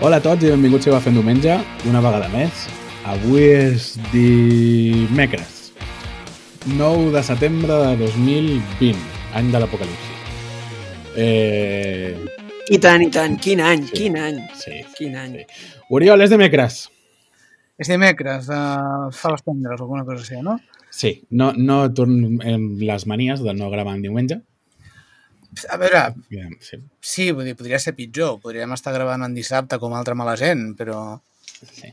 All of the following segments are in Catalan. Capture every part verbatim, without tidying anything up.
Hola a tots i benvinguts a Va fent diumenge, una vegada més. Avui és dimecres, nou de setembre de dos mil vint, any de l'apocalipsi. Eh... I tant, i tant. Quin any, Sí. quin any. Sí, Quin any. sí. Oriol, és dimecres. És dimecres, uh, fa les tendres o alguna cosa així, no? Sí, no, no tornem les manies de no gravar en diumenge. A veure, Sí. sí, vull dir, podria ser pitjor. Podríem estar gravant en dissabte com altra mala gent, però... Sí.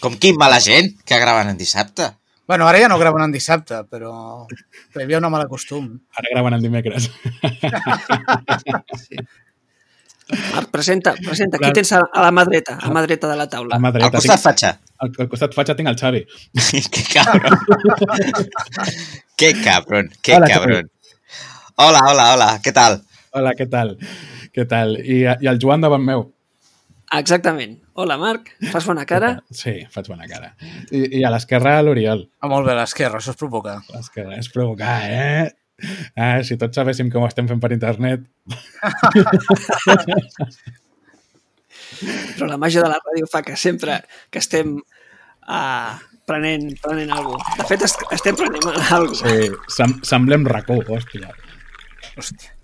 Com quin mala gent que graven en dissabte. Bueno, ara ja no graven en dissabte, però, però hi havia un mal costum. Ara graven en dimecres. Sí. Marc, presenta, presenta. Clar. Aquí tens a, a la mà dreta, a mà dreta de la taula. A mà Al dreta costat tinc- fatxa. Al, al costat fatxa tinc el Xavi. Que cabron. Que cabron, que Hola, cabron. Hola, hola, hola, què tal? Hola, què tal? Què tal? I, I el Joan davant meu. Exactament. Hola, Marc. Fas bona cara? Sí, faig bona cara. I, i a l'esquerra l'Oriol. Ah, molt bé, l'esquerra, això és provocar. L'esquerra és provocar, eh? Ah, si tots sabéssim com ho estem fent per internet. Però la màgia de la ràdio fa que sempre que estem uh, prenent, prenent alguna cosa. De fet, est estem prenent alguna cosa. Sí, sem semblem racó, hòstia. Hòstia.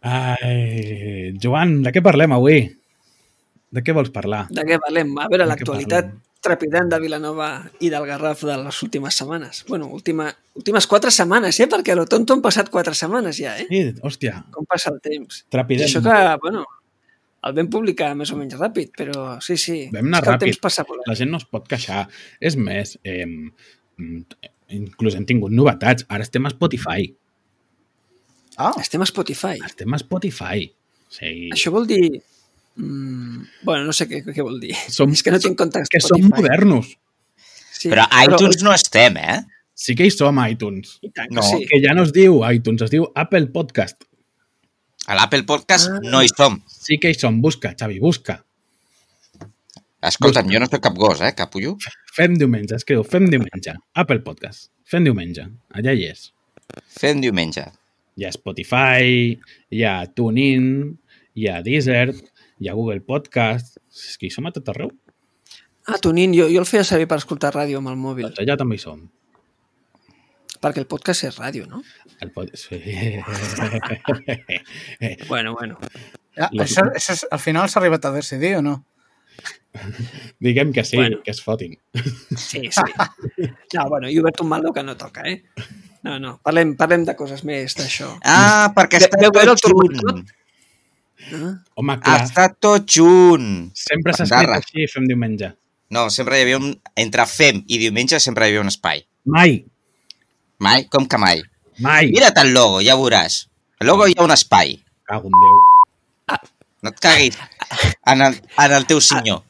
Ai, Joan, de què parlem avui? De què vols parlar? De què parlem? A veure, De què l'actualitat parlem? trepidant de Vilanova i del Garraf de les últimes setmanes. Bueno, última, últimes quatre setmanes, eh? Perquè a lo tonto han passat quatre setmanes ja, eh? Sí, hòstia, Com passa el temps. I trepidem. això que, bueno, el vam publicar més o menys ràpid, però sí, sí. Vam anar és que el ràpid. temps passa volant. La gent no es pot queixar. És més, eh, inclús hem tingut novetats. Ara estem a Spotify. Ah, Estem a Spotify. Estem a Spotify. Sí. Això vol dir... Mm, bueno, no sé què, què vol dir. Som, és que no tinc compte que som Spotify. modernos. Sí, Però a iTunes no estem, eh? Sí que hi som a iTunes. I tant que No, sí. Que ja no es diu iTunes, es diu Apple Podcast. A l'Apple Podcast Ah. no hi som. Sí que hi som. Busca, Xavi, busca. Escolta'm, jo no soc cap gos, eh, capullo. Fem diumenge, escriu, fem diumenge. Apple Podcast. Fem diumenge. Allà hi és. Fem diumenge. Hi ha Spotify, hi ha TuneIn, hi ha Deezer, hi ha Google Podcast. És que hi som a tot arreu. Ah, TuneIn, jo, jo el feia servir per escoltar ràdio amb el mòbil. Doncs allà també hi som. Perquè el podcast és ràdio, no? El pod... sí. Bueno, bueno. ja, això, això és, al final s'ha arribat a decidir o no? Diguem que sí, Bueno. que es fotin. Sí, sí. No, bueno, he obert un maldo que no toca, eh? No, no, parlem, parlem de coses més d'això. Ah, perquè Ve- està veu veure el tot junt. turmentot? Ah, Home, clar, Està tot junt. sempre s'ha escrit Bandarra. així, fem diumenge. No, sempre hi havia un... Entre fem i diumenge sempre hi havia un espai. Mai, Mai? Com que mai? mai. Mira't el logo, ja veuràs. El logo hi ha un espai. Cago en Déu. No et caguis en el, en el teu senyor.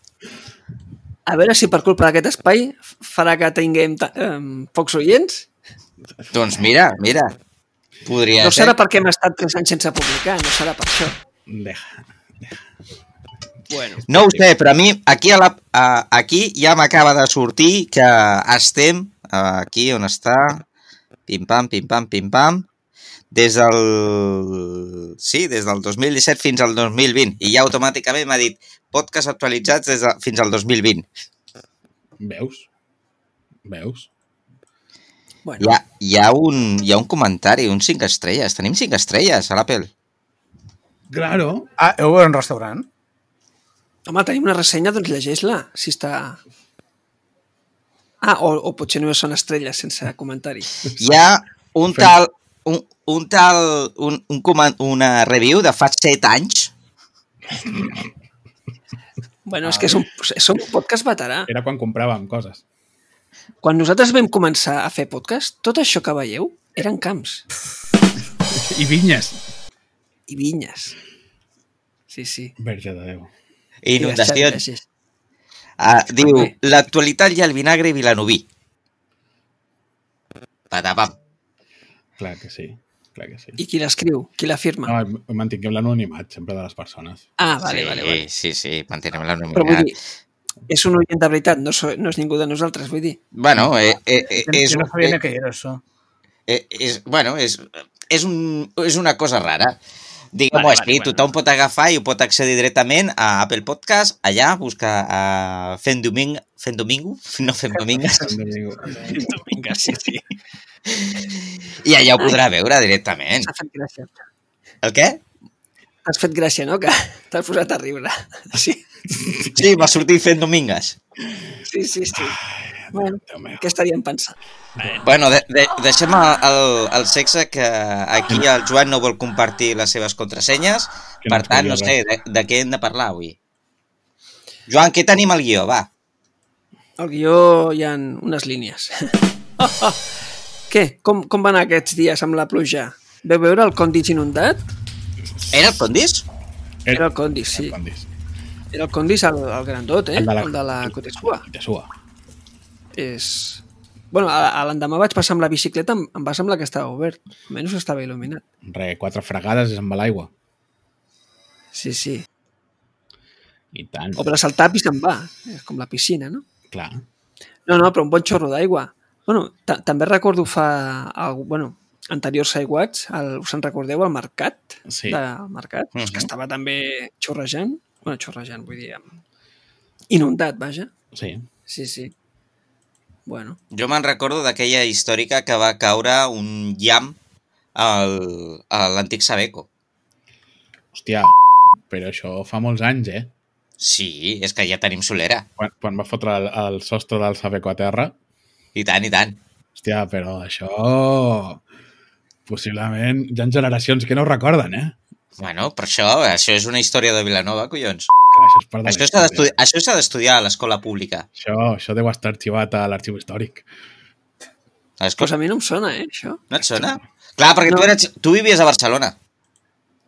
a veure si per culpa d'aquest espai farà que tinguem um, pocs oients. Doncs mira, mira. Podria No ser. serà perquè hem estat tres anys sense publicar, no serà per això. Deja. Bueno, No ho sé, però a mi aquí, a la, a, aquí ja m'acaba de sortir que estem aquí on està, pim-pam, pim-pam, pim-pam, des del... Sí, des del dos mil disset fins al dos mil vint. I ja automàticament m'ha dit podcast actualitzats des de, fins al dos mil vint. Veus? Veus? bueno. Hi ha, hi, ha un, hi ha un comentari, un cinc estrelles. Tenim cinc estrelles a l'Apple. Claro. Ah, heu obert un restaurant? Home, tenim una ressenya, doncs llegeix-la, si està... Ah, o, o potser només són estrelles sense comentari. Hi ha un tal... Un, un tal... Un, un coment, una review de fa set anys. Bueno, és que és un, és un podcast veterà. Era quan compràvem coses. Quan nosaltres vam començar a fer podcast, tot això que veieu eren camps I vinyes. i vinyes. Sí, sí. Verge de Déu. Inundacions. Gràcies. Ah, diu, Bé. l'actualitat i el vinagre vilanoví. Patapam. Clar que sí. Clar que sí. I qui l'escriu? Qui l'afirma? No, mantinguem l'anonimat sempre de les persones. Ah, vale, sí, vale, vale. sí, sí, mantenem Però vull l'anonimat. dir, és un oient de veritat, no, so, no és ningú de nosaltres, vull dir. Bueno, eh, eh, eh, Jo, és, jo no sabia eh, ni què era això. eh, és, bueno, és, és, un, és una cosa rara. Diguem-ho Vale, així, vale, tothom pot agafar i ho pot accedir directament a Apple Podcast, allà, busca uh, Fent Domingo, Fent Domingo? No Fent Domingues. Vinga, sí, sí. I allà ho podrà veure directament. S'ha fet gràcia. El què? T'has fet gràcia, no? Que t'has posat a riure. Sí, Sí, va sortir Fent Domingues. sí, sí. sí. Bueno, Déu meu. què estaríem pensant? Bueno, de, de, deixem el, el sexe, que aquí el Joan no vol compartir les seves contrasenyes, Que no per ens tant, no volia sé, de, de què hem de parlar avui? Joan, què tenim al guió? Va. Al guió hi ha unes línies. Oh, oh. Què? Com, com van aquests dies amb la pluja? Veu veure el Condis inundat? Era el Condis? Era el Condis, sí. El Condis. Era el Condis, el, el grandot, eh? El de la- El de la Cotesua. Te sua. És... Bueno, a, a l'endemà vaig passar amb la bicicleta, em, em va semblar que estava obert. Almenys estava il·luminat. Re, quatre fregades i se'n va l'aigua. Sí, sí. I tant. O per saltar i se'n va. És com la piscina, no? Clar. No, no, però un bon xorro d'aigua. Bueno, ta- també recordo fa... El, bueno, anteriors aiguats, el, us en recordeu, el mercat? Sí. Del mercat, uh Mhm. -huh. que estava també xorrejant. Bueno, xorrejant, vull dir... amb- Inundat, vaja. Sí. Sí, sí. Bueno, Jo me'n recordo d'aquella històrica que va caure un llamp al, a l'antic Sabeco. Hòstia, però això fa molts anys, eh? Sí, és que ja tenim solera. Quan, quan va fotre el, el sostre del Sabeco a terra. I tant, i tant. Hòstia, però això... Possiblement hi ha generacions que no ho recorden, eh? Bueno, per això, això és una història de Vilanova, collons. Clar, això és part de la Això s'ha d'estudi- història. això s'ha d'estudiar a l'escola pública. Això, això deu estar arxivat a l'arxiu històric. A l'escola... pues a mi no em sona, eh, això. No et sona? Clar, perquè No. tu, eres, tu vivies a Barcelona.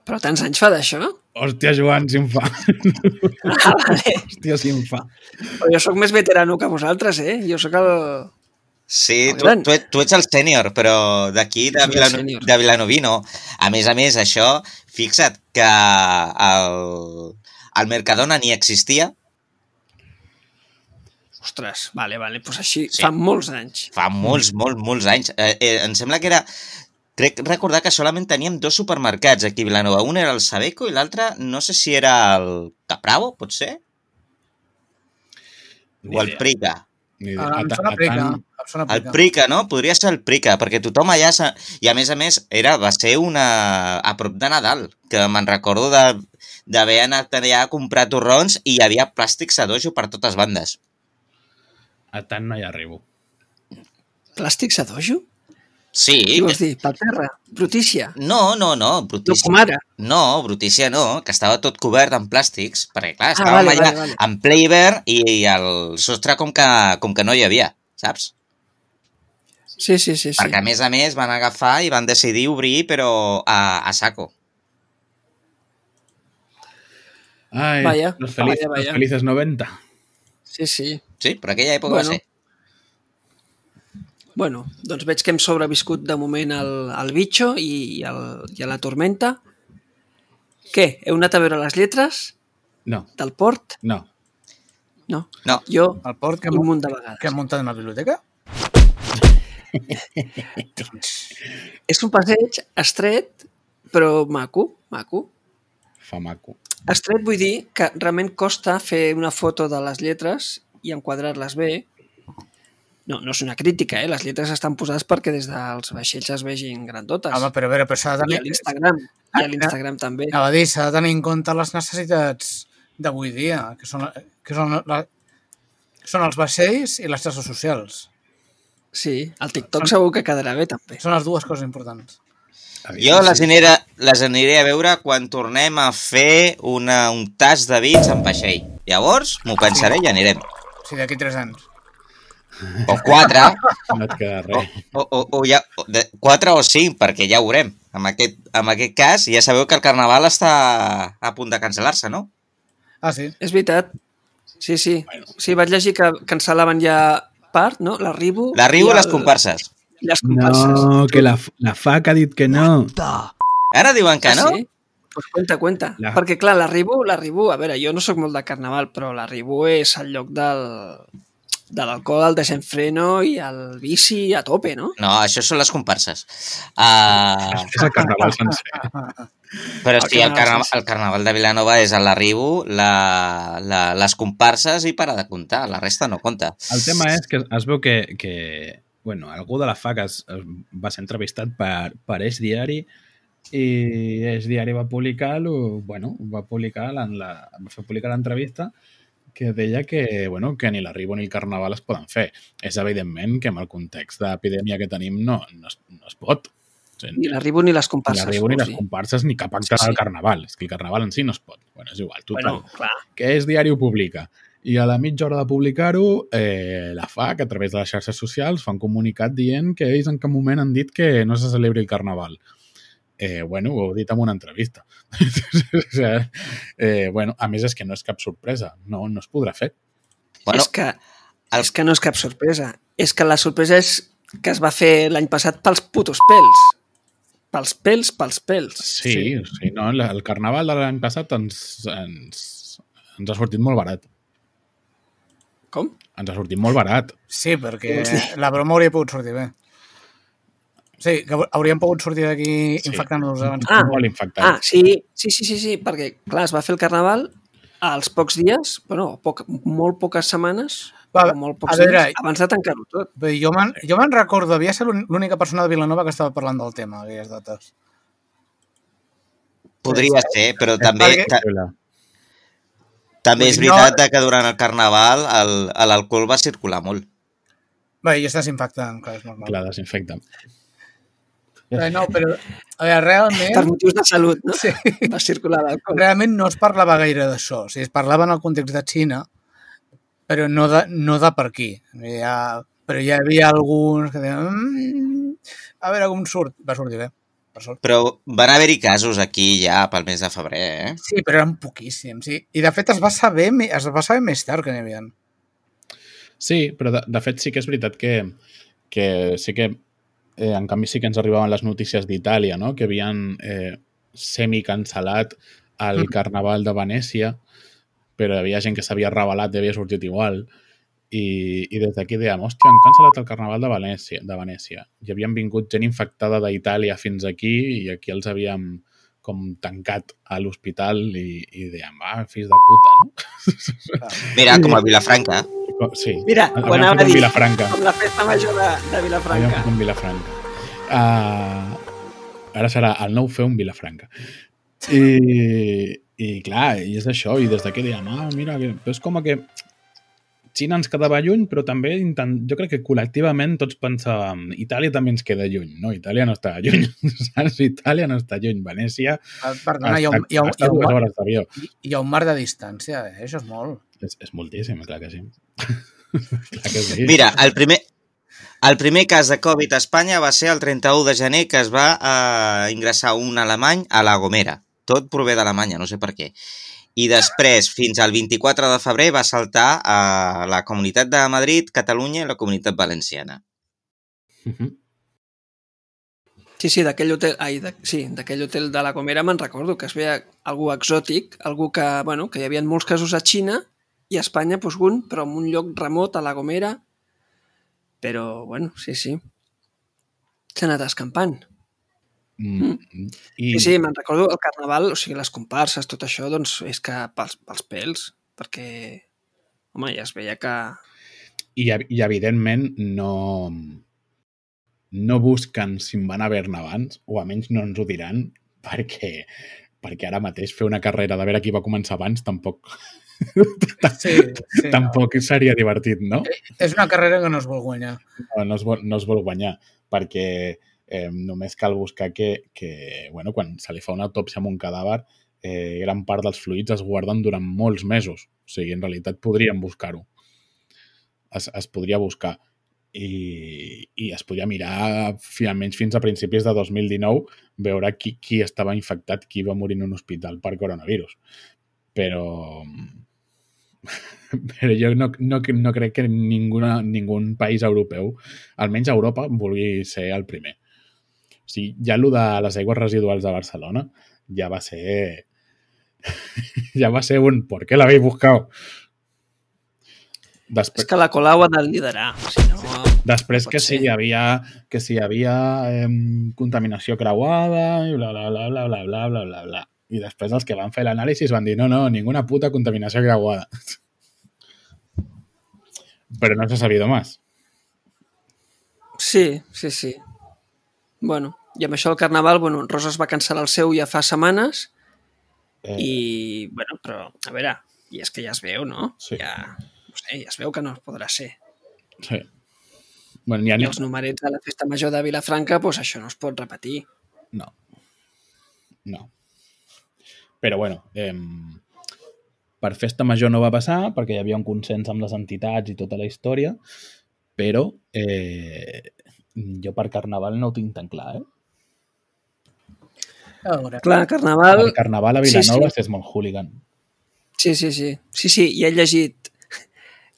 Però tants anys fa d'això? Hòstia, Joan, si em fa. Ah, vale. Hòstia, si em fa. Però jo sóc més veterano que vosaltres, eh? Jo sóc el... Sí, El tu, gran. tu, et- tu ets el sènior, però d'aquí, de, Soc el Vilano, sènior. de Vilanoví, no. A més a més, això, fixa't que el, el Mercadona ni existia Ostres, vale, vale, doncs així, Sí. fa molts anys. fa molts, molts, molts anys. Eh, eh, em sembla que era... Crec recordar que solament teníem dos supermercats aquí a Vilanova. Un era el Sabeco i l'altre, no sé si era el Capravo, pot ser? Ni O el idea. Prica. Ni idea. Ah, A em ta- sona a Prica. tant- Em sona El Prica. Prica, no? Podria ser el Prica, perquè tothom allà... s'ha- I a més a més, era, va ser una... a prop de Nadal, que me'n recordo de d'haver anat allà a comprar torrons i hi havia plàstics a dojo per totes bandes. A tant no hi arribo. Plàstics a dojo? Sí. Què vols dir? Per terra? Brutícia? No, no, no, No brutícia. com ara? No, brutícia no, que estava tot cobert amb plàstics, perquè clar, Ah, estàvem vale, allà vale, vale. en ple hivern i el sostre com que, com que no hi havia, saps? Sí, sí, sí. sí. Perquè a més a més van agafar i van decidir obrir, però a, a saco. Ai, Vaya, los, feliz, vaya, vaya. los felices noventa. Sí, sí. Sí, per aquella època Bueno. va ser. Bueno, doncs veig que hem sobreviscut de moment al, al bitxo i, al, i a la tormenta. Què? Heu anat a veure les lletres No, del port? no. No. No. Jo, El port que, un hem- munt de vegades. que hem muntat en la biblioteca? És un passeig estret, però maco, maco. Fa maco. Estret vull dir que realment costa fer una foto de les lletres i enquadrar-les bé. No, no és una crítica, eh? Les lletres estan posades perquè des dels vaixells es vegin grandotes. Home, però a veure, però s'ha de I a tenir... l'Instagram. I a l'Instagram també. Anava a dir, s'ha de tenir en compte les necessitats d'avui dia, que són, que són, la, que són els vaixells i les xarxes socials. Sí, el TikTok segur que quedarà bé també. Són les dues coses importants. Jo les aniré, les aniré a veure quan tornem a fer una, un tas de vins en vaixell. Llavors m'ho pensaré i anirem. O sigui, d'aquí tres anys. O quatre, No et queda o, res. o, o, o ja, de, quatre o cinc, perquè ja ho veurem. En aquest, en aquest cas, ja sabeu que el carnaval està a punt de cancel·lar-se, no? Ah, sí? És veritat. Sí, sí. Sí, vaig llegir que cancel·laven ja part, no? L'arribo... L'arribo i el- les comparses. I les comparses. No, que la, la fac ha dit que no. Ara diuen que Ah, no? sí? Pues cuenta, cuenta. La- Perquè, clar, l'arribo, l'arribo... A veure, jo no sóc molt de carnaval, però l'arribo és el lloc del... de l'alcohol, el desenfreno i el vici a tope, no? No, això són les comparses. Uh, És el carnaval sencer. però El sí, el, carnaval carna sencer. el carnaval de Vilanova és a l'arribo, la, la, les comparses i para de comptar. La resta no compta. El tema és que es veu que, que bueno, algú de la F A C es, es va ser entrevistat per, per Eix Diari i Eix Diari va publicar bueno, va publicar la, la, va fer publicar l'entrevista que deia que, bueno, que ni l'arribo ni el carnaval es poden fer. És evidentment que amb el context d'epidèmia que tenim no, no, es, no es pot. O sigui, Ni l'arribo ni les ni comparses. l'arribo ni vols les dir? comparses ni cap acte Sí, sí. del carnaval. És que el carnaval en si no es pot. Bueno, és igual, total. Bueno, clar. Que és diari ho publica. I a la mitja hora de publicar-ho, eh, la F A C, a través de les xarxes socials, fa un comunicat dient que ells en cap moment han dit que no se celebri el carnaval. Eh, bueno, ho heu dit en una entrevista. o sigui, eh, bueno, a més, és que no és cap sorpresa. No, no es podrà fer. Bueno, és, que, el- és que no és cap sorpresa. És que la sorpresa és que es va fer l'any passat pels putos pèls. Pels pèls, pels pèls. Sí, sí. sí no? El carnaval de l'any passat ens, ens, ens ha sortit molt barat. Com? Ens ha sortit molt barat. Sí, perquè Què vols dir? la broma hauria pogut sortir bé. Sí, que hauríem pogut sortir d'aquí Sí. infectant-nos abans. Ah. Molt infectat. Ah, sí, sí, sí, sí, sí, perquè, clar, es va fer el carnaval als pocs dies, bueno, poc, molt poques setmanes, Va, o molt pocs a veure, dies, abans de tancar-ho tot. Bé, jo me'n jo me'n recordo, havia ser l'ún- l'única persona de Vilanova que estava parlant del tema, aquelles dates. podria ser, però també, perquè- ta, Hola. també és Vull dir, no- veritat que durant el carnaval el- l'alcohol va circular molt. Bé, i estàs infectant, clar, és normal. Clar, desinfecta. Bé, no, però a veure, realment, Per motius de salut, no? sí, Va circular l'alcohol. realment no es parlava gaire d'això. O sigui, es parlava en el context de Xina, però no de, no de per aquí. Ja, però hi havia alguns que deien mmm, a veure com surt. Va sortir bé, per sort. Però van haver-hi casos aquí ja pel mes de febrer, eh? Sí, però eren poquíssims. Sí. I de fet es va saber, me- es va saber més tard que n'hi havia. Sí, però de, de fet sí que és veritat que, que sí que eh, en canvi sí que ens arribaven les notícies d'Itàlia, no? Que havien eh, semi-cancel·lat el Mm. carnaval de Venècia, però hi havia gent que s'havia revelat i havia sortit igual. I, i des d'aquí dèiem, hòstia, han cancel·lat el carnaval de Venècia, de Venècia. I havien vingut gent infectada d'Itàlia fins aquí i aquí els havíem com tancat a l'hospital i, i dèiem, ah, fills de puta, no? Mira, com a Vilafranca. Sí. Mira, ho Havíem anava fet a un dir, Vilafranca. com la festa major de, de Havíem Vilafranca. fet un Vilafranca. Uh, ara serà el nou fer un Vilafranca. I, i clar, i és això, i des d'aquí dèiem, ah, mira, que, però és com que Xina ens quedava lluny, però també intent... jo crec que col·lectivament tots pensàvem Itàlia també ens queda lluny, no? Itàlia no està lluny, saps? Itàlia no està lluny, Venècia Perdona, hi ha, un, hi, ha, un- hi, està ha un, dues mar- hores d'avió. hi ha un mar de distància, eh? Això és molt. És, és moltíssim, clar que sí. clar que sí. Mira, el primer, el primer cas de Covid a Espanya va ser el trenta-u de gener que es va eh, ingressar un alemany a La Gomera. Tot prové d'Alemanya, no sé per què. I després, fins al vint-i-quatre de febrer, va saltar a la Comunitat de Madrid, Catalunya i la Comunitat Valenciana. Uh -huh. Sí, sí, d'aquell hotel, ai, de, sí, d'aquell hotel de la Gomera me'n recordo que es veia algú exòtic, algú que, bueno, que hi havia molts casos a Xina i a Espanya, doncs un, però en un lloc remot a la Gomera. Però, bueno, sí, sí. S'ha anat escampant. Mm. I... Sí, sí, me'n recordo el carnaval, o sigui, les comparses, tot això, doncs és que pels, pels pèls, perquè, home, ja es veia que... I, i evidentment no, no busquen si en van haver-ne abans, o almenys no ens ho diran, perquè, perquè ara mateix fer una carrera de veure qui va començar abans tampoc, Sí, sí, tampoc seria divertit, no? és una carrera que no es vol guanyar. No, no, es vol, no es vol guanyar, perquè eh, només cal buscar que, que bueno, quan se li fa una autòpsia amb un cadàver, eh, gran part dels fluids es guarden durant molts mesos. O sigui, en realitat podríem buscar-ho. Es, es podria buscar i, i es podria mirar almenys fins a principis de dos mil dinou veure qui, qui estava infectat, qui va morir en un hospital per coronavirus. Però, però jo no, no, no crec que ninguna, ningú país europeu, almenys a Europa, vulgui ser el primer. O sigui, ja allò de les aigües residuals de Barcelona ja va ser ja va ser un ¿por qué l'habéis buscado? Després, És que la Colau ha de liderar, si no... després no que pot si ser. hi havia, que si hi havia eh, contaminació creuada i bla, bla, bla, bla, bla, bla, bla, bla, bla. I després els que van fer l'anàlisi van dir no, no, ninguna puta contaminació creuada. Però no s'ha sabido más. Sí, sí, sí. Bueno, i amb això el Carnaval, bueno, en Roses va cancel·lar el seu ja fa setmanes Eh, i, bueno, però, a veure, i és que ja es veu, no? Sí. Ja, no sé, ja es veu que no podrà ser. sí. Bueno, ja I ni... els numerets de la festa major de Vilafranca, doncs això no es pot repetir. No. No. Però bueno, eh, per festa major no va passar perquè hi havia un consens amb les entitats i tota la història, però eh, jo per Carnaval no ho tinc tan clar, eh? A veure. Clar, Carnaval... El Carnaval a Sí, Vilanova sí. és molt hooligan. Sí, sí, sí. Sí, sí, i he llegit...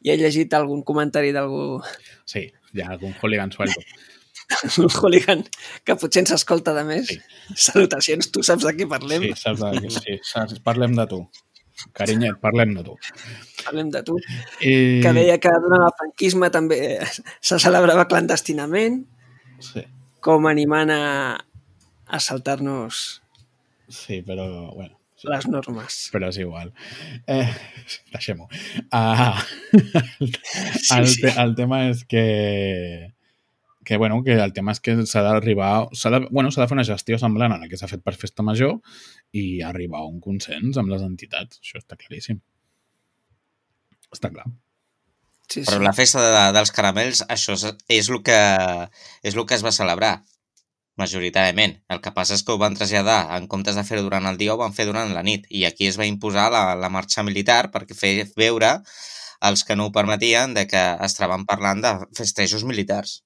I he llegit algun comentari d'algú... Sí, hi ha algun hooligan suelto. un hooligan que potser ens escolta de més. Sí. Salutacions, tu saps de què parlem? Sí, saps de... sí, saps, parlem de tu. Carinyet, parlem de tu. Parlem de tu. I... Que deia que durant el franquisme també se celebrava clandestinament, Sí, com animant a, a saltar-nos sí, però bueno. Sí. les normes. Però és igual. Eh, Deixem-ho. Uh, el, el, sí. te, el tema és que que, bueno, que el tema és que s'ha d'arribar... S'ha de, bueno, s'ha de fer una gestió semblant a la que s'ha fet per Festa Major i arribar a un consens amb les entitats. Això està claríssim. Està clar. Sí, Però sí. la festa de, dels caramels, això és, és, el que, és el que es va celebrar, majoritàriament. El que passa és que ho van traslladar, en comptes de fer-ho durant el dia, ho van fer durant la nit. I aquí es va imposar la, la marxa militar perquè fer veure als que no ho permetien de que estaven parlant de festejos militars.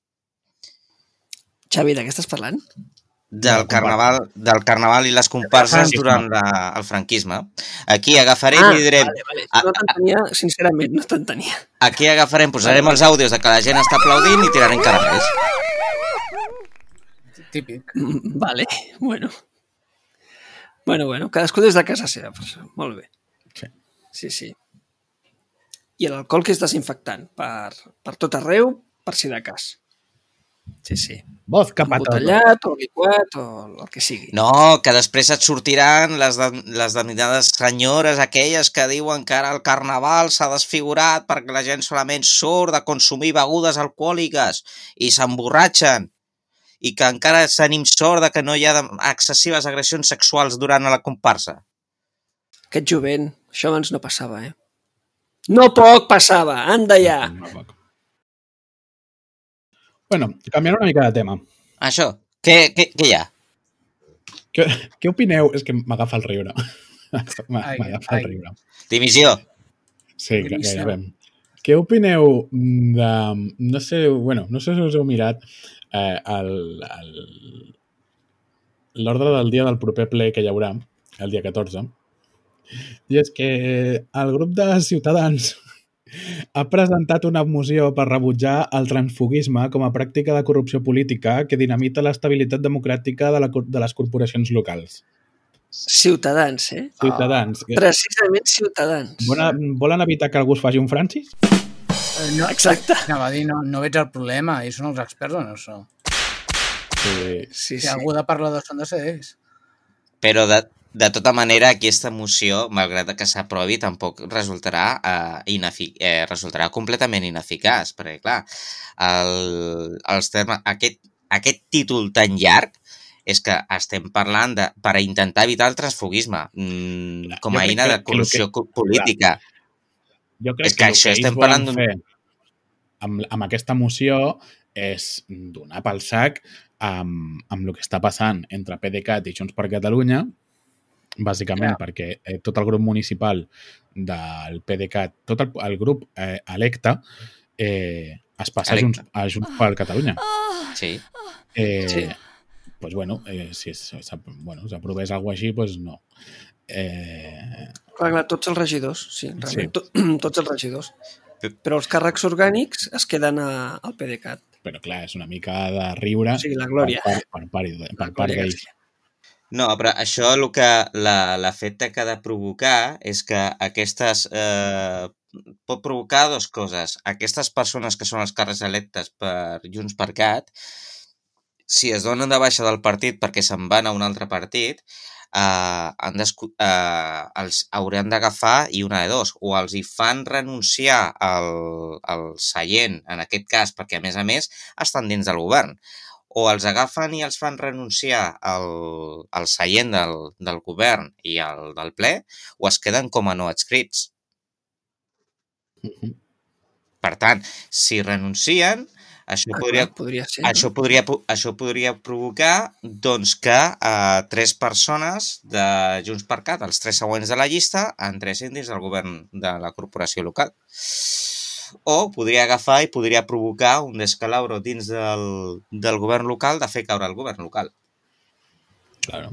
Xavi, de què estàs parlant? Del carnaval, del carnaval i les comparses durant la, el franquisme. Aquí agafarem Ah, i direm... vale, vale. No t'entenia, sincerament, no t'entenia. Aquí agafarem, posarem els àudios de que la gent està aplaudint i tirarem caramels. Típic. Mm, Vale, bueno. Bueno, bueno, cadascú des de casa seva, per això. Molt bé. Sí. Sí, sí. I l'alcohol que és desinfectant per, per tot arreu, per si de cas. Sí, sí. Vodka patata. Embotellat o liquat o el que sigui. No, que després et sortiran les, de, les denominades senyores aquelles que diuen que ara el carnaval s'ha desfigurat perquè la gent solament surt de consumir begudes alcohòliques i s'emborratxen i que encara tenim sort de que no hi ha excessives agressions sexuals durant la comparsa. Aquest jovent, això abans no passava, eh? No poc passava, anda ja! No poc. Bueno, canviant una mica de tema. Això, què, què, què hi ha? Què, què opineu? És que m'agafa el riure. Ai, M'agafa el ai. riure. Dimissió. Sí, Dimissió. gairebé. Què opineu de... No sé, bueno, no sé si us heu mirat eh, el, el, l'ordre del dia del proper ple que hi haurà, el dia catorze. I és que el grup de Ciutadans ha presentat una moció per rebutjar el transfuguisme com a pràctica de corrupció política que dinamita l'estabilitat democràtica de, la, de les corporacions locals. Ciutadans, eh? Ciutadans. Oh, precisament Ciutadans. Volen, volen evitar que algú es faci un Francis? Eh, No, Exacte. anava a dir, no, no veig el problema. Ells són els experts en això. Sí. Sí, Si sí. algú de parlar de són de ser ells. Però de, de tota manera, aquesta moció, malgrat que s'aprovi, tampoc resultarà, eh, inefic eh, resultarà completament ineficaç, perquè, clar, el, els termes, aquest, aquest títol tan llarg és que estem parlant de, per intentar evitar el transfuguisme mm, com a Jo crec eina que- de que corrupció el que- política. Jo crec És que el això ells estem volen parlant d'un- fer amb, amb aquesta moció és donar pel sac amb, amb el que està passant entre PDeCAT i Junts per Catalunya, bàsicament Ja. perquè eh, tot el grup municipal del PDeCAT, tot el, el grup eh, electe, eh, es passa a Electe. Junts, a Junts per Catalunya. Sí. Eh, Sí. Pues bueno, eh, si és- s'ap- bueno, s'aprovés alguna així, pues no. Eh, Clar, clar, tots els regidors, sí, realment, Sí. to, tots els regidors. Però els càrrecs orgànics es queden a, al PDeCAT. però clar, és una mica de riure O sigui, la glòria. per part, per part, per La part Glòria d'ells. García. No, però això el que la, l'efecte que ha de provocar és que aquestes... Eh, pot provocar dues coses. Aquestes persones que són els càrrecs electes per Junts per Cat, si es donen de baixa del partit perquè se'n van a un altre partit, eh, han eh, els hauran d'agafar i una de dos. O els hi fan renunciar al, al seient, en aquest cas, perquè a més a més estan dins del govern. O els agafen i els fan renunciar al, al seient del, del govern i al del ple, o es queden com a no adscrits. Uh-huh. Per tant, si renuncien, això, Ah, podria, clar, podria ser, això, no? podria, això podria provocar doncs, que eh, tres persones de Junts per Cat, els tres següents de la llista, entressin dins del govern de la corporació local. O podria agafar i podria provocar un descalabro dins del, del govern local de fer caure el govern local. Claro.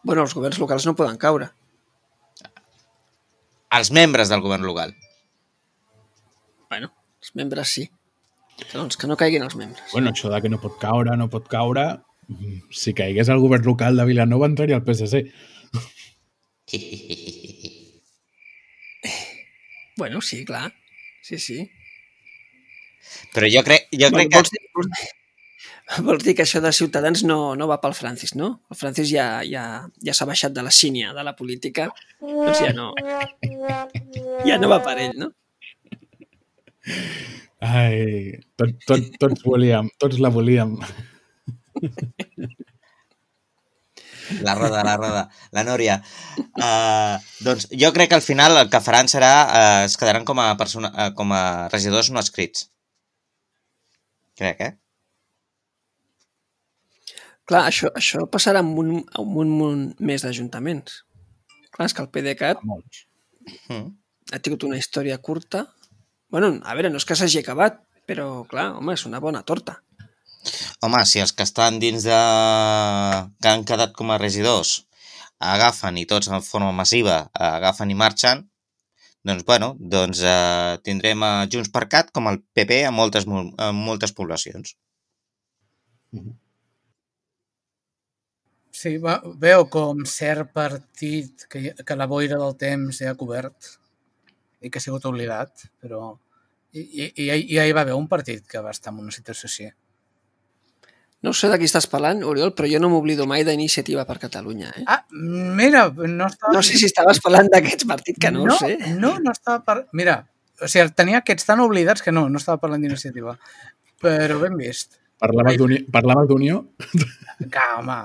Bueno, els governs locals no poden caure. Els membres del govern local. Bueno, els membres sí. Que, doncs, que no caiguin els membres. Bueno, això de que no pot caure, no pot caure... Si caigués el govern local de Vilanova entraria al P S C. Bueno, sí, clar. Sí, sí. Però jo crec, jo crec Vols, que... dir, vols, vols dir que això de Ciutadans no, no va pel Francis, no? El Francis ja, ja, ja s'ha baixat de la sínia de la política, doncs ja no... Ja no va per ell, no? Ai, tot, tot, tots volíem, tots la volíem. La roda, la roda, la Núria. Uh, doncs jo crec que al final el que faran serà uh, es quedaran com a, persona, uh, com a regidors no escrits. Crec, eh? Clar, això, això passarà amb un, amb un munt més d'ajuntaments. Clar, és que el PDeCAT Molts. Mm. ha tingut una història curta. Bueno, a veure, no és que s'hagi acabat, però, clar, home, és una bona torta. Home, si els que estan dins de... que han quedat com a regidors agafen i tots en forma massiva agafen i marxen, doncs, bueno, doncs eh, tindrem a Junts per Cat com el P P a moltes, a moltes poblacions. Sí, va, veu com cert partit que, que la boira del temps ja ha cobert i que ha sigut oblidat, però i, i, i ja hi va haver un partit que va estar en una situació així. No sé de qui estàs parlant, Oriol, però jo no m'oblido mai d'Iniciativa per Catalunya. Eh? Ah, mira, no estava... No sé si estaves parlant d'aquests partits, que no, no ho sé. No, no estava parlant... Mira, o sigui, tenia aquests tan oblidats que no, no estava parlant d'Iniciativa. Però ben vist. Parlaves d'Unió? Parlaves d'Unió? Que, home...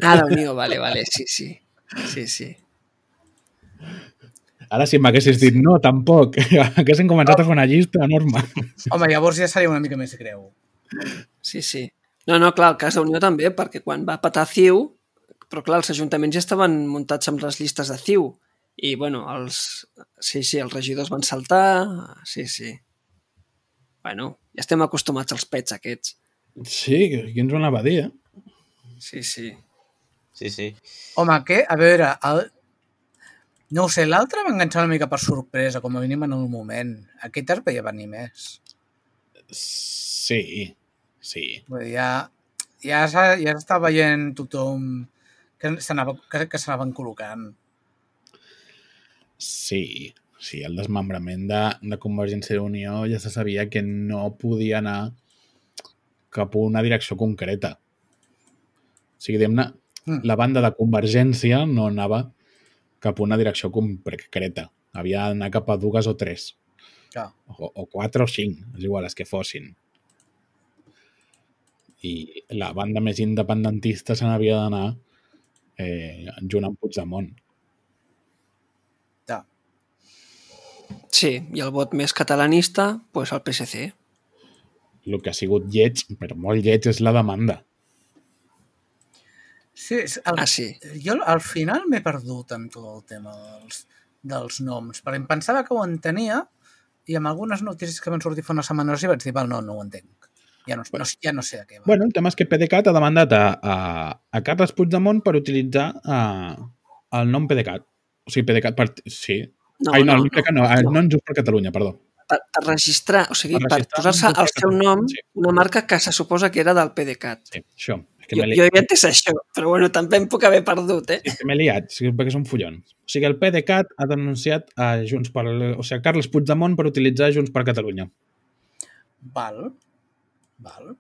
Ah, d'Unió, vale, vale, sí, sí. Sí, sí. Ara si m'haguessis dit no, tampoc. Haguessin començat a fer una llista enorme. Home, llavors ja seria una mica més greu. Sí, sí. No, no, clar, el cas d'Unió també, perquè quan va patar C I U, però clar, els ajuntaments ja estaven muntats amb les llistes de C I U, i, bueno, els... Sí, sí, els regidors van saltar, sí, sí. Bueno, ja estem acostumats als pets aquests. Sí, qui ens ho anava a dir, eh? Sí, sí. Sí, sí. Home, què? A veure, el... no ho sé, l'altre va enganxar una mica per sorpresa, com a mínim en un moment. Aquest es veia venir més. Sí, sí. Vull dir, ja, ja, ja s'està veient tothom que s'anava, que, que s'anaven col·locant. Sí, sí, el desmembrament de, de Convergència i Unió ja se sabia que no podia anar cap a una direcció concreta. O sigui, diguem-ne, mm. la banda de Convergència no anava cap a una direcció concreta. Havia d'anar cap a dues o tres. Ja. O, o quatre o cinc, és igual, les que fossin. I la banda més independentista se n'havia d'anar eh, junt amb Puigdemont. Ja. Sí, i el vot més catalanista, pues el P S C. El que ha sigut lleig, però molt lleig, és la demanda. Sí, el, ah, sí. Jo al final m'he perdut amb tot el tema dels, dels noms, perquè em pensava que ho entenia i amb algunes notícies que van sortir fa una setmana i vaig dir, val, no, no ho entenc. Ja no, no, ja no sé a què va. Bueno, el tema és que PDeCAT ha demandat a, a, a Carles Puigdemont per utilitzar a, el nom PDeCAT. O sigui, PDeCAT... Per, sí. No, Ai, no, no, el PDeCAT no, no, no, no en Just per Catalunya, perdó. Per, per registrar, o sigui, per, per posar-se al seu nom sí. una marca que se suposa que era del PDeCAT. Sí, això. Que Jo, m'he li- jo havia entès això, però bueno, també em puc haver perdut, eh? sí, m'he liat, sí, perquè és un follon. O sigui, el PDeCAT ha denunciat a Junts per... O sigui, a Carles Puigdemont per utilitzar Junts per Catalunya. Val. Val.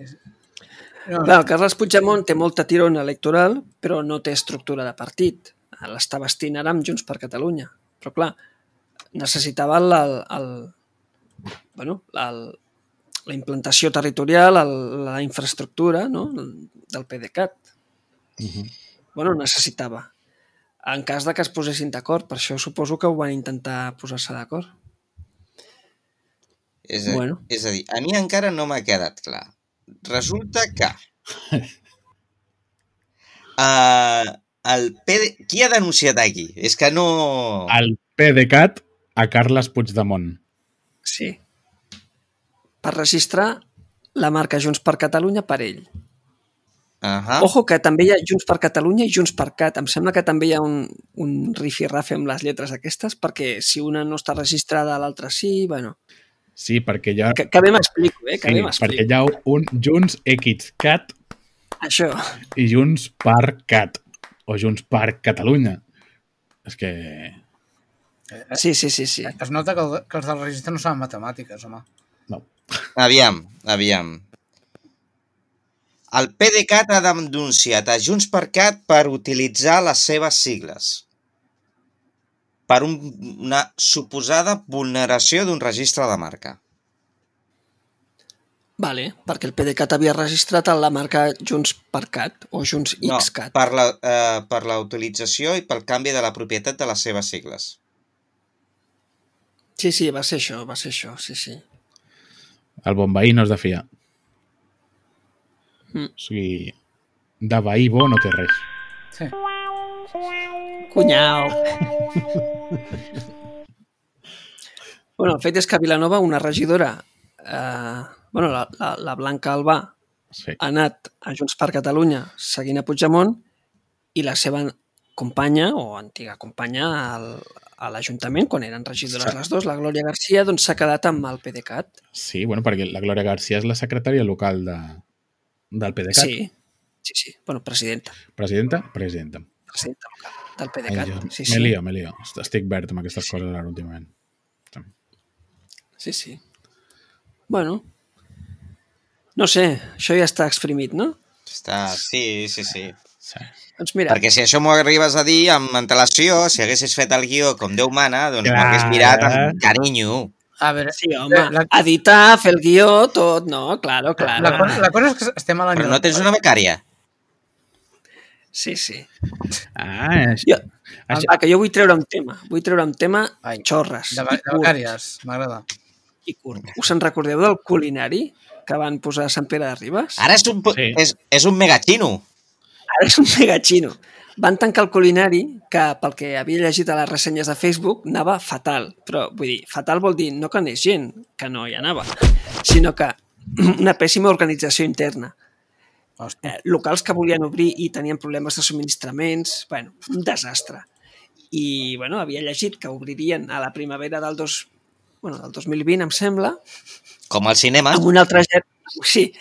És... No, Clar, el Carles Puigdemont té molta tirona electoral, però no té estructura de partit. L'està vestint ara amb Junts per Catalunya. Però clar, necessitava el, el, el, bueno, el, la implantació territorial, el, la infraestructura, no?, del PDeCAT. Uh -huh. Bueno, necessitava. En cas de que es posessin d'acord, per això suposo que ho van intentar posar-se d'acord. És a, Bueno. és a dir, a mi encara no m'ha quedat clar. Resulta que uh, el P D... Qui ha denunciat aquí? És que no... El PDeCAT a Carles Puigdemont. Sí. Per registrar la marca Junts per Catalunya per ell. Uh -huh. Ojo, que també hi ha Junts per Catalunya i Junts per Cat. Em sembla que també hi ha un, un rifirrafe amb les lletres aquestes, perquè si una no està registrada, l'altra sí, bueno... Sí, perquè hi ha... Que, que bé m'explico, eh? Que sí, bé perquè m'explico. hi ha un Junts XCat Això. i Junts per Cat. O Junts per Catalunya. És que... Sí, sí, sí, sí. es nota que, el, que els del registre no saben matemàtiques, home. No. Aviam, aviam. El PDeCAT ha denunciat a Junts per Cat per utilitzar les seves sigles per un, una suposada vulneració d'un registre de marca. Vale, perquè el PDeCAT havia registrat la marca Junts per Cat o Junts No, XCat. per la, eh, per la utilització i pel canvi de la propietat de les seves sigles. Sí, sí, va ser això, va ser això, sí, sí. El bon veí no es de fiar. Mm. O sigui, de veí bo no té res. Sí. Cunyau. Bueno, el fet és que a Vilanova una regidora, eh, bueno, la, la, la Blanca Albà, Sí. ha anat a Junts per Catalunya seguint a Puigdemont i la seva companya, o antiga companya, al, a l'Ajuntament, quan eren regidores Sí. les dues, la Glòria Garcia, doncs s'ha quedat amb el PDeCAT. Sí, bueno, perquè la Glòria García és la secretària local de, del PDeCAT. Sí, sí, sí. Bueno, presidenta. Presidenta? Presidenta. Presidenta local del Ai, PDeCAT. jo, Sí, me sí. lío, me lío. Estic verd amb aquestes coses ara últimament. Sí, sí. Bueno, no sé, això ja està exprimit, no? Està... Sí, sí, sí. Sí. Doncs mira, Perquè si això m'ho arribes a dir amb antelació, si haguessis fet el guió com Déu mana, doncs Clar. m'ho hagués mirat amb carinyo. A veure, sí, home, la, editar, fer el guió, tot, no? Claro, claro. la, cosa, la cosa és que estem a l'any... Però no tens una becària? Sí, sí. Ah, això, Jo, això, ah, que jo vull treure un tema. Vull treure un tema Ai, xorres De, i de curt. becàries, m'agrada. I curt. Us en recordeu del culinari que van posar a Sant Pere de Ribes? Ara és un, Sí. és, és un megachino. Ara és un megachino. Van tancar el culinari, que pel que havia llegit a les ressenyes de Facebook, anava fatal. Però, vull dir, fatal vol dir no que anés gent, que no hi anava, sinó que una pèssima organització interna. Hòstia. Eh, locals que volien obrir i tenien problemes de subministraments, bueno, un desastre. I, bueno, havia llegit que obririen a la primavera del, dos, bueno, del dos mil vint, em sembla, Com al cinema. amb una altra, ger- sí,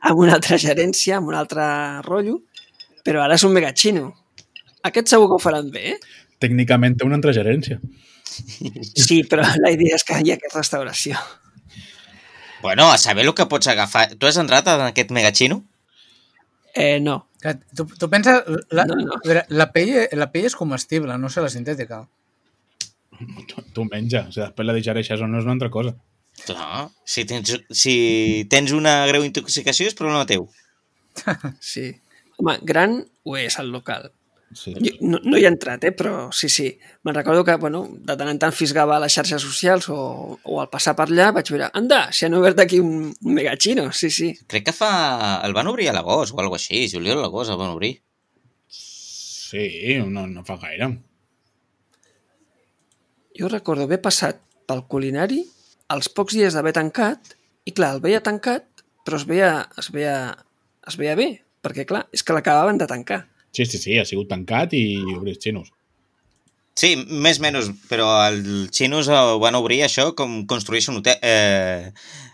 amb una altra gerència, amb un altre rotllo, però ara és un megachino. Aquest segur que ho faran bé, eh? tècnicament té una altra gerència. Sí, però la idea és que hi ha aquesta restauració. Bueno, a saber el que pots agafar. Tu has entrat en aquest megachino? Eh, no. Que Tu, tu penses... La, No, no. a veure, la, pell, la pell és comestible, no sé la sintètica. Tu, tu menja, o sigui, després la digereixes o no és una altra cosa. Clar. Si tens, si tens una greu intoxicació és problema teu. Sí. Home, gran ho és el local. Sí. Jo, no, no hi he entrat, eh? Però sí, sí. Me'n recordo que, bueno, de tant en tant fisgava a les xarxes socials o, o al passar per allà vaig veure, anda, s'hi han obert aquí un, un megachino, sí, sí. Crec que fa... El van obrir a l'agost o alguna així. Juliol a l'agost el van obrir. Sí, no, no fa gaire. Jo recordo haver passat pel culinari els pocs dies d'haver tancat i, clar, el veia tancat, però es veia, es veia, es veia bé, perquè, clar, és que l'acabaven de tancar. Sí, sí, sí, ha sigut tancat i obrir xinos. Sí, més o menys, però els xinos ho van obrir això com construeixen hotel, eh,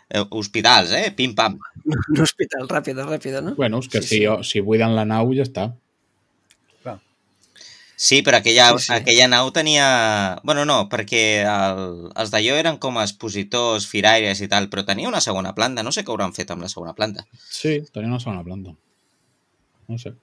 eh, hospitals, eh? Pim-pam. Un hospital, ràpida, ràpida, no? Bueno, és que Sí, si, sí. si buiden la nau ja està. Clar. Sí, però aquella, Sí, sí. aquella nau tenia... Bueno, no, perquè el, els d'allò eren com expositors, firaires i tal, però tenia una segona planta. No sé què hauran fet amb la segona planta. Sí, tenia una segona planta. No sé.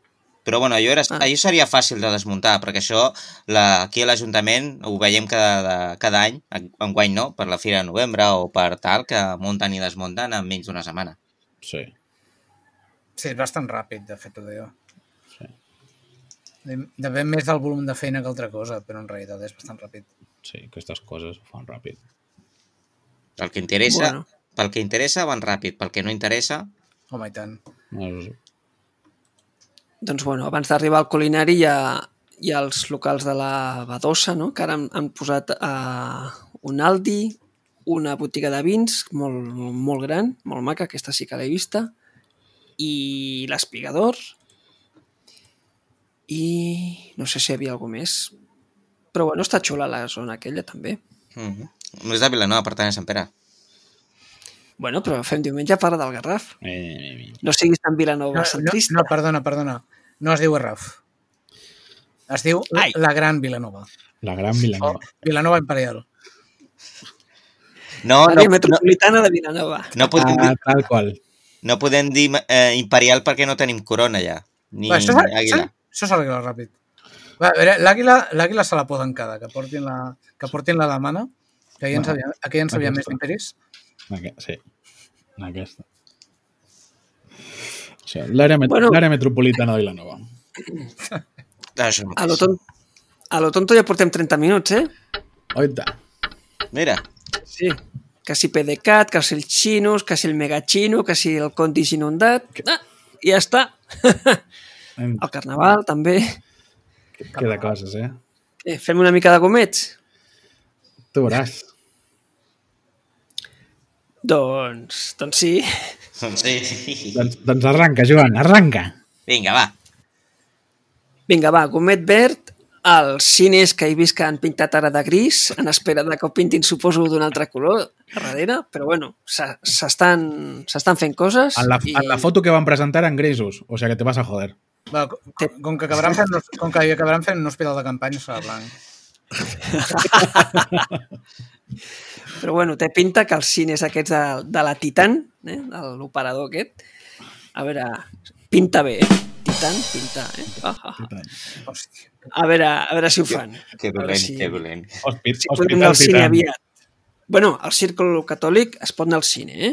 Però bueno, allò, era, Ah. allò seria fàcil de desmuntar, perquè això la, aquí a l'Ajuntament ho veiem cada, cada any, enguany no, per la Fira de Novembre o per tal, que munten i desmunten en menys d'una setmana. Sí. Sí, és bastant ràpid, de fet, ho deia. Sí. Depèn més del volum de feina que altra cosa, però en realitat és bastant ràpid. Sí, aquestes coses ho fan ràpid. Pel que interessa, Bueno. pel que interessa van ràpid, pel que no interessa... Home, i tant. No, és- Doncs bueno, abans d'arribar al culinari hi ha, hi ha els locals de la Badosa, no? Que ara han, han posat uh, un Aldi, una botiga de vins molt, molt, molt gran, molt maca, aquesta sí que l'he vista, i l'Espigador, i no sé si hi havia alguna més. Però bueno, està xula la zona aquella també. Mm -hmm. No és de Vilanova, per tant és Sant Pere. Bueno, però fem diumenge a part del Garraf. Eh, No siguis tan No, Vilanova no, centrista. no, perdona, perdona. No es diu Garraf. Es diu la, Ai. la Gran Vilanova. la gran O Vilanova. Vilanova Imperial. No, no, L'àrea no, metropolitana de Vilanova. no, podem Ah, dir, tal qual. no podem dir eh, imperial perquè no tenim corona ja, ni Va, això s'ha- àguila. això- això s'arregla ràpid. Va, a veure, l'àguila l'àguila se la poden quedar, que portin la, que portin la de mana, que ja en Bueno, sabia, aquí ja en sabia més aquesta. d'imperis. Aqu- Sí, aquesta. O sigui, l'àrea met Bueno. l'àrea metropolitana de Vilanova. Això A lo, ton... a lo tonto ja portem trenta minuts, eh? Oita. Mira, Sí. Que si P D C A T, que si els xinos, que si el megachino, que si el condis inundat... Ah, i ja està. Em- El carnaval, també. Queda coses, eh? Eh, fem una mica de gomets? Tu veuràs. Doncs, doncs sí. sí. Doncs, doncs arranca, Joan, arranca. Vinga, va. Vinga, va, gomet verd, els cines que he vist que han pintat ara de gris, en espera de que ho pintin, suposo, d'un altre color a darrere, però bueno, se- s'estan s'estan fent coses. En la, i... en la foto que van presentar en grisos, o sea que te vas a joder. Va, com, com que acabaran fent, com que acabaran fent un hospital de campanya serà blanc. Però bueno, té pinta que els cines aquests de, de la Titan, eh, de l'operador aquest, a veure, pinta bé, eh? Titan, pinta, eh? Ah, ah, ah. Hòstia. A veure, a veure si ho fan. Que A veure dolent, si- que dolent. Hospi Si podem anar hospital al cine Titan. aviat. Bueno, al Círculo Catòlic es pot anar al cine, eh?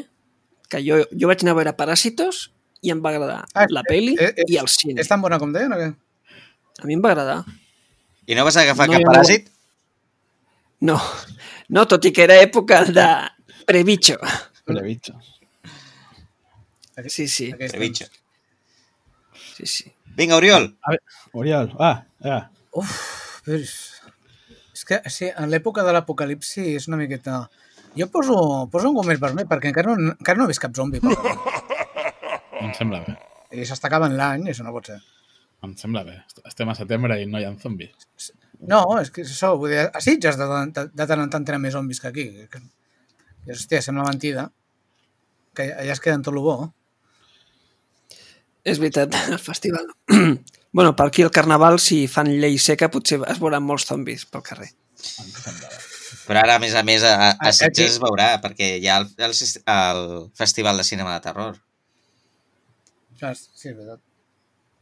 Que jo, jo vaig anar a veure Paràsitos i em va agradar Ah, la peli eh, eh, i el cine. És tan bona com deien o què? A mi em va agradar. I no vas agafar No, cap jo no- paràsit? No, no, tot i que era època de prebicho. Previcho. Sí, sí, Aquest Trebitxo. sí, sí. Vinga, Oriol. A ver, Oriol, ah, ah. Uf, però és, és que sí, en l'època de l'apocalipsi és una miqueta... Jo poso, poso un gomet vermell perquè encara no, encara no he vist cap zombi. Per Em sembla bé. I s'està acabant l'any, i això no pot ser. Em sembla bé. Estem a setembre i no hi ha zombis. No, és que és això, vull dir, a Sitges de, de, de tant en tant tenen més zombis que aquí. Que, que, hòstia, sembla mentida. Que allà es queden tot lo bo. És veritat, el festival. Bueno, per aquí el carnaval, si fan llei seca, potser es veuran molts zombis pel carrer. Em sembla bé. Però ara, a més a més, a, a Aquí- Sitges es veurà, perquè hi ha el, el, el Festival de Cinema de Terror. Ah, sí, és veritat.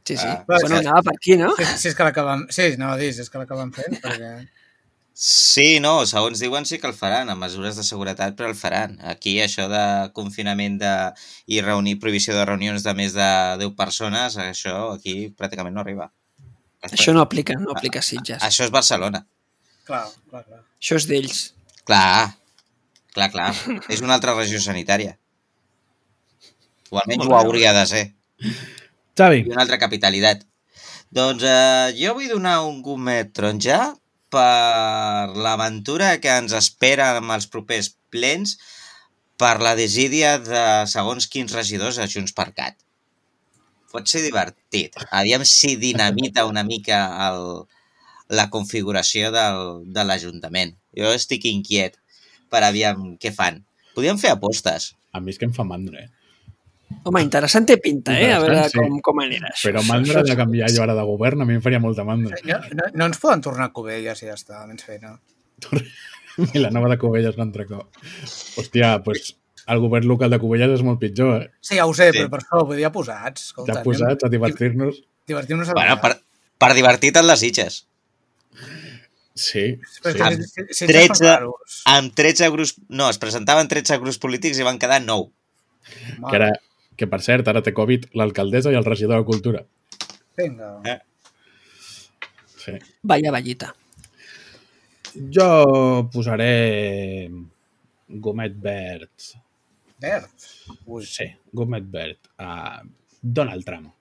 Sí, sí. Ah, bueno, sí. anava per aquí, no? Si, si és que l'acabem... Sí, anava a dir, si és que l'acabem fent, perquè... Sí, no, segons diuen sí que el faran, amb mesures de seguretat, però el faran. Aquí això de confinament de, i reunir, prohibició de reunions de més de deu persones, això aquí pràcticament no arriba. Això no aplica, no aplica a Sitges. Això és Barcelona. Clar, clar, clar. Això és d'ells. Clar, clar, clar. És una altra regió sanitària. O almenys Molt ho bé. hauria de ser. Xavi, I una altra capitalitat. Doncs eh, jo vull donar un gomet taronja per l'aventura que ens espera amb els propers plens per la desídia de segons quins regidors a Junts per Cat. Pot ser divertit. Aviam si dinamita una mica el, la configuració del, de l'Ajuntament. Jo estic inquiet per aviam què fan. Podríem fer apostes. A mi és que em fa mandra, eh? Home, interessant té pinta, eh? A veure Interessant, sí. com, com anirà això. Però mandra de canviar jo ara de govern, a mi em faria molta mandra. No, no, no ens poden tornar a Cubelles i ja està, menys feina. Vilanova de Cubelles contra cop. Hòstia, doncs pues, el govern local de Cubelles és molt pitjor, eh? Sí, ja ho sé, Sí. però per això vull dir, ja posats. Escolta, Ja posats a divertir-nos. Divertir-nos a Bueno, per, per divertir-te en les Sitges. Sí, Però sí. és que si- si- si tretze. són raros. Amb tretze grups... No, es presentaven tretze grups polítics i van quedar nou. Que, ara, que per cert, ara té Covid l'alcaldessa i el regidor de Cultura. Vinga. Eh. Sí. Vaya vallita. Jo posaré gomet verd. Verd. Ui. Sí, gomet verd. A Donald Trump.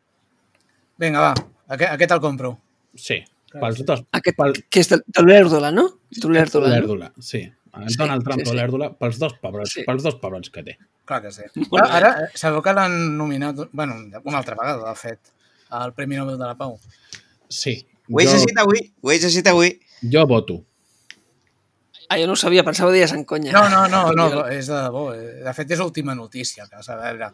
Vinga, va. Aquest, aquest el compro. Sí, pels dos. Aquest, Pel, que és de, de l'Èrdola, no? De l'Èrdola. No? L'Èrdola, sí. El Sí, Donald Trump sí, o sí. l'Èrdola pels dos pebrons, Sí. pels dos pebrons que té. Clar que sí. Molt bé. Ara, eh, sabeu que l'han nominat, bueno, una altra vegada, de fet, al Premi Nobel de la Pau. Sí. Ho he jo, llegit avui, ho he llegit avui. jo voto. Ah, jo no ho sabia, pensava que deies en conya. No, no, no, no, és de debò. eh. De fet, és última notícia, que a veure.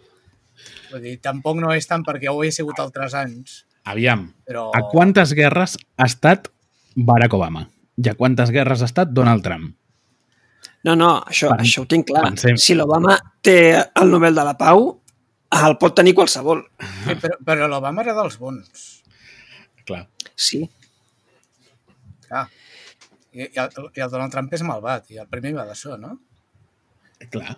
Vull dir, tampoc no és tant perquè ho he sigut altres anys, Aviam, però... a quantes guerres ha estat Barack Obama? I a quantes guerres ha estat Donald Trump? No, no, això, Pen- això ho tinc clar. pensem- Si l'Obama té el Nobel de la Pau, el pot tenir qualsevol. Sí, però, però l'Obama era dels bons. Clar. Sí. Clar. I, i, el, I el Donald Trump és malvat, i el premi va d'això, no? Clar.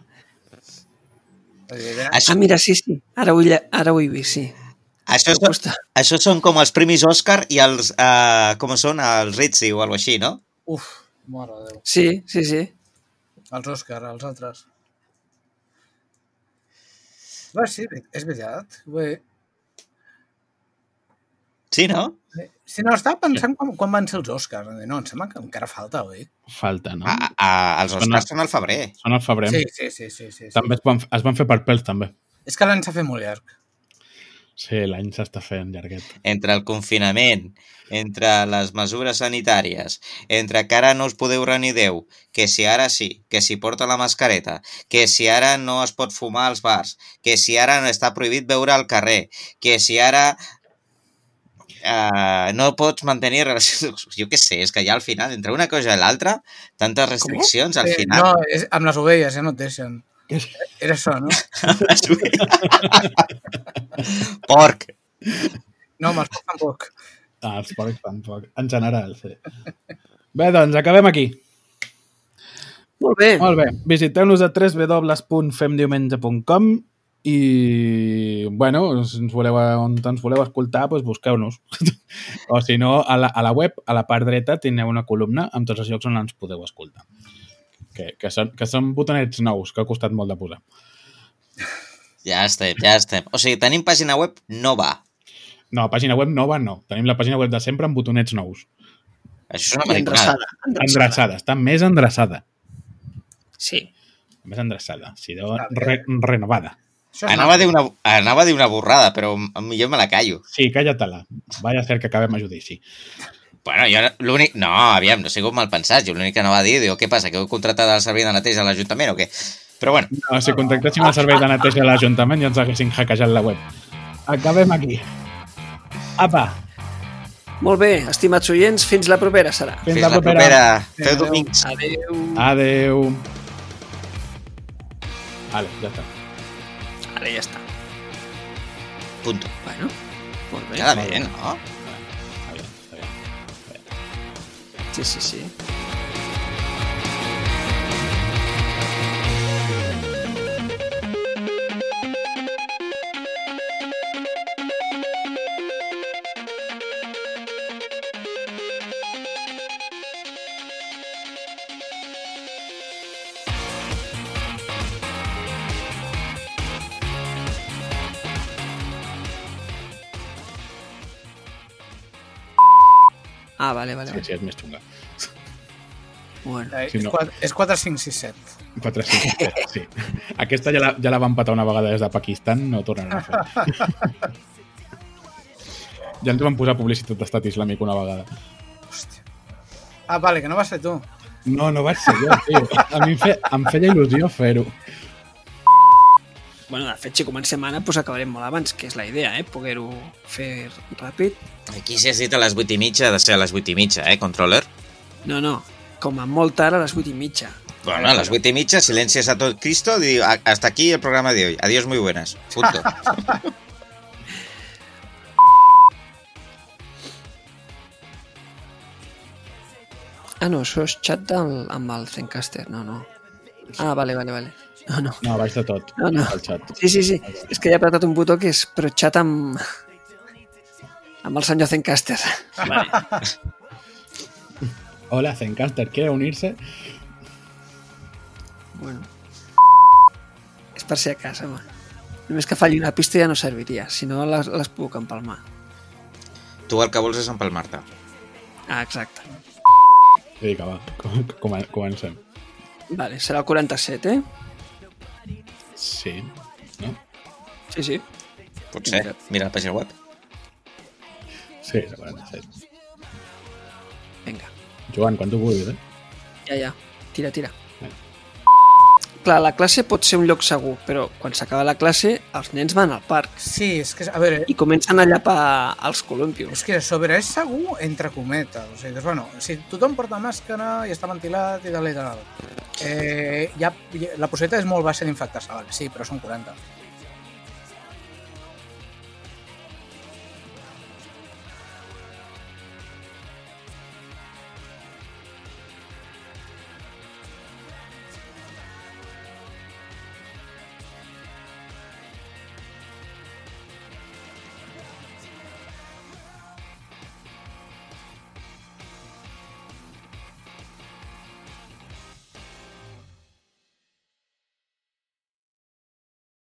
Vull dir, era... Això, Ah, mira, sí, sí. Ara ho, he lle- ara ho he vist, sí. això, Ho són, costa. això són com els premis Òscar i els... Uh, com són? Els Ritzy o alguna així, no? Uf, mare de Déu. Sí, sí, sí. Els Òscar, els altres. Va, sí, és veritat. Vull... Sí, no? Si no, estava pensant quan, quan van ser els Òscars. No, em sembla que encara falta, oi? Falta, no? A, a, els Oscars són al febrer. Són al febrer. Sí, sí, sí. sí, sí, sí. També es van, es van fer per pèls, també. És que l'any s'ha fet molt llarg. Sí, l'any s'està fent llarguet. Entre el confinament, entre les mesures sanitàries, entre que ara no us podeu reunir Déu, que si ara sí, que si porta la mascareta, que si ara no es pot fumar als bars, que si ara no està prohibit beure al carrer, que si ara uh, no pots mantenir relacions... Jo què sé, és que ja al final, entre una cosa i l'altra, tantes restriccions, al Eh, final... no, és, amb les ovelles, ja no et deixen. Era això, no? Porc! No, amb els porcs tampoc. Ah, els porcs tampoc. En general, sí. Bé, doncs, acabem aquí. Molt bé. Molt bé. Visiteu-nos a w w w punt fem diumenge punt com i, bueno, si ens voleu, on ens voleu escoltar, doncs busqueu-nos. O si no, a la, a la web, a la part dreta, teniu una columna amb tots els llocs on ens podeu escoltar. Que, que, són, que són botonets nous, que ha costat molt de posar. Ja estem, ja estem. O sigui, tenim pàgina web nova. No, pàgina web nova no. Tenim la pàgina web de sempre amb botonets nous. Això és una I mariconada. endreçada. endreçada. Endreçada. Està més endreçada. Sí. Més endreçada. Si deu re, renovada. Això és Anava a, dir una, anava a dir una borrada, però millor me la callo. Sí, calla-te-la. Vaya a ser que acabem a judici. Bueno, jo l'únic... No, aviam, no he sigut mal pensat. Jo l'únic que anava a dir, diu, què passa, que heu contractat el servei de neteja a l'Ajuntament o què? Però bueno, No, si contactéssim el servei de neteja a l'Ajuntament ja ens haguessin hackejat la web. Acabem aquí. Apa, Molt bé, estimats oients, fins la propera serà. fins, fins la propera. Feu Adéu. domings. Adeu. Adeu. Vale, ja està. Ara ja està. Punto. Bueno, molt bé. Queda bé, no? Està bé, està bé. Sí, sí, sí. Ah, vale, vale. Sí, vale. sí, és més xunga. Bueno. Eh, Sí, és no. quatre- és quatre cinc sis set. quatre cinc set, sí. Aquesta ja la, ja la van patar una vegada des de Pakistan, no ho tornaran a fer. Ja ens van posar publicitat d'estat islàmic una vegada. Hòstia. Ah, vale, que no vas ser tu. No, no vaig ser jo, tio. A mi em, fe, em feia il·lusió fer-ho. Bueno, de fet, si comencem ara, doncs acabarem molt abans, que és la idea, eh? Poder-ho fer ràpid. Aquí si has dit a les vuit i mitja, ha de ser a les vuit i mitja, eh, controller? No, no, com a molt tard a les vuit i mitja. Bueno, a las vuit y media, silencias a todo Cristo. Digo, hasta aquí el programa de hoy. Adiós, muy buenas. Punto. Ah, no, això és xat del, amb el Zencaster, no, no. Ah, vale, vale, vale. No, no. No, baix de tot, No, no. al xat. Sí, sí, sí. És que he apretat un botó que és però xat amb... amb el senyor Zencaster. Vale. Hola, Zencaster, ¿quiere unirse? Bueno. És per si a casa, home. Només que falli una pista ja no serviria, si no les, les puc empalmar. Tu el que vols és empalmar-te. Ah, exacte. Vinga, va, com, com, comencem. Vale, serà el quaranta-set, eh? Sí, no? Sí, sí. Potser. Mira la pàgina web. Sí, és el quaranta-set. Vinga. Joan, quan tu vulguis, eh? Ja, ja. Tira, tira. Clar, la classe pot ser un lloc segur, però quan s'acaba la classe els nens van al parc Sí, és que, a veure, i comencen a llapar els columpios. és que a sobre és segur entre cometes. O sigui, doncs, bueno, si tothom porta màscara i està ventilat i tal i tal, eh, ja, ja, la possibilitat és molt baixa d'infectar-se, vale, sí, però són quaranta.